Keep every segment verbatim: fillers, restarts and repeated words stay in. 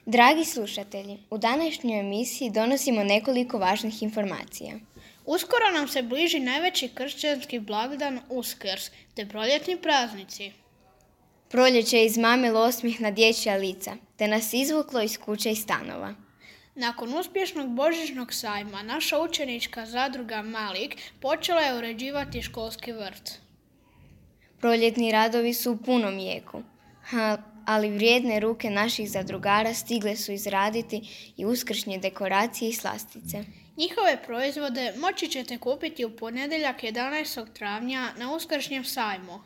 Dragi slušatelji, u današnjoj emisiji donosimo nekoliko važnih informacija. Uskoro nam se bliži najveći kršćanski blagdan Uskrs, te proljetni praznici. Proljeće je izmamilo osmijeh na dječja lica, te nas izvuklo iz kuće i stanova. Nakon uspješnog božićnog sajma, naša učenička zadruga Malik počela je uređivati školski vrt. Proljetni radovi su u punom jeku, ali vrijedne ruke naših zadrugara stigle su izraditi i uskršnje dekoracije i slastice. Njihove proizvode moći ćete kupiti u ponedjeljak jedanaestog travnja na uskršnjem sajmu.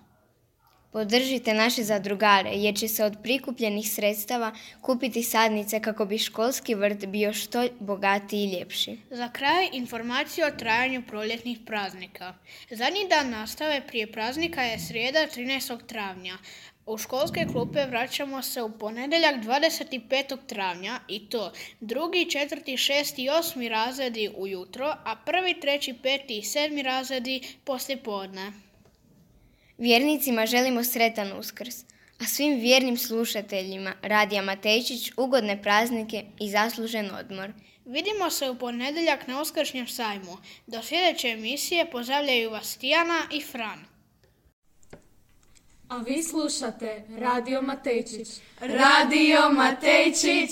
Podržite naše zadrugare jer će se od prikupljenih sredstava kupiti sadnice kako bi školski vrt bio što bogatiji i ljepši. Za kraj informacija o trajanju proljetnih praznika. Zadnji dan nastave prije praznika je srijeda trinaestog travnja. U školske klupe vraćamo se u ponedjeljak dvadeset petog travnja i to drugi, četvrti, šesti i osmi razredi ujutro, a prvi, treći, peti i sedmi razredi poslijepodne. Vjernicima želimo sretan Uskrs, a svim vjernim slušateljima Radija Matejčić ugodne praznike i zaslužen odmor. Vidimo se u ponedjeljak na uskršnjem sajmu. Do sljedeće emisije pozdravljaju vas Tijana i Fran. A vi slušate Radio Matejčić. Radio Matejčić.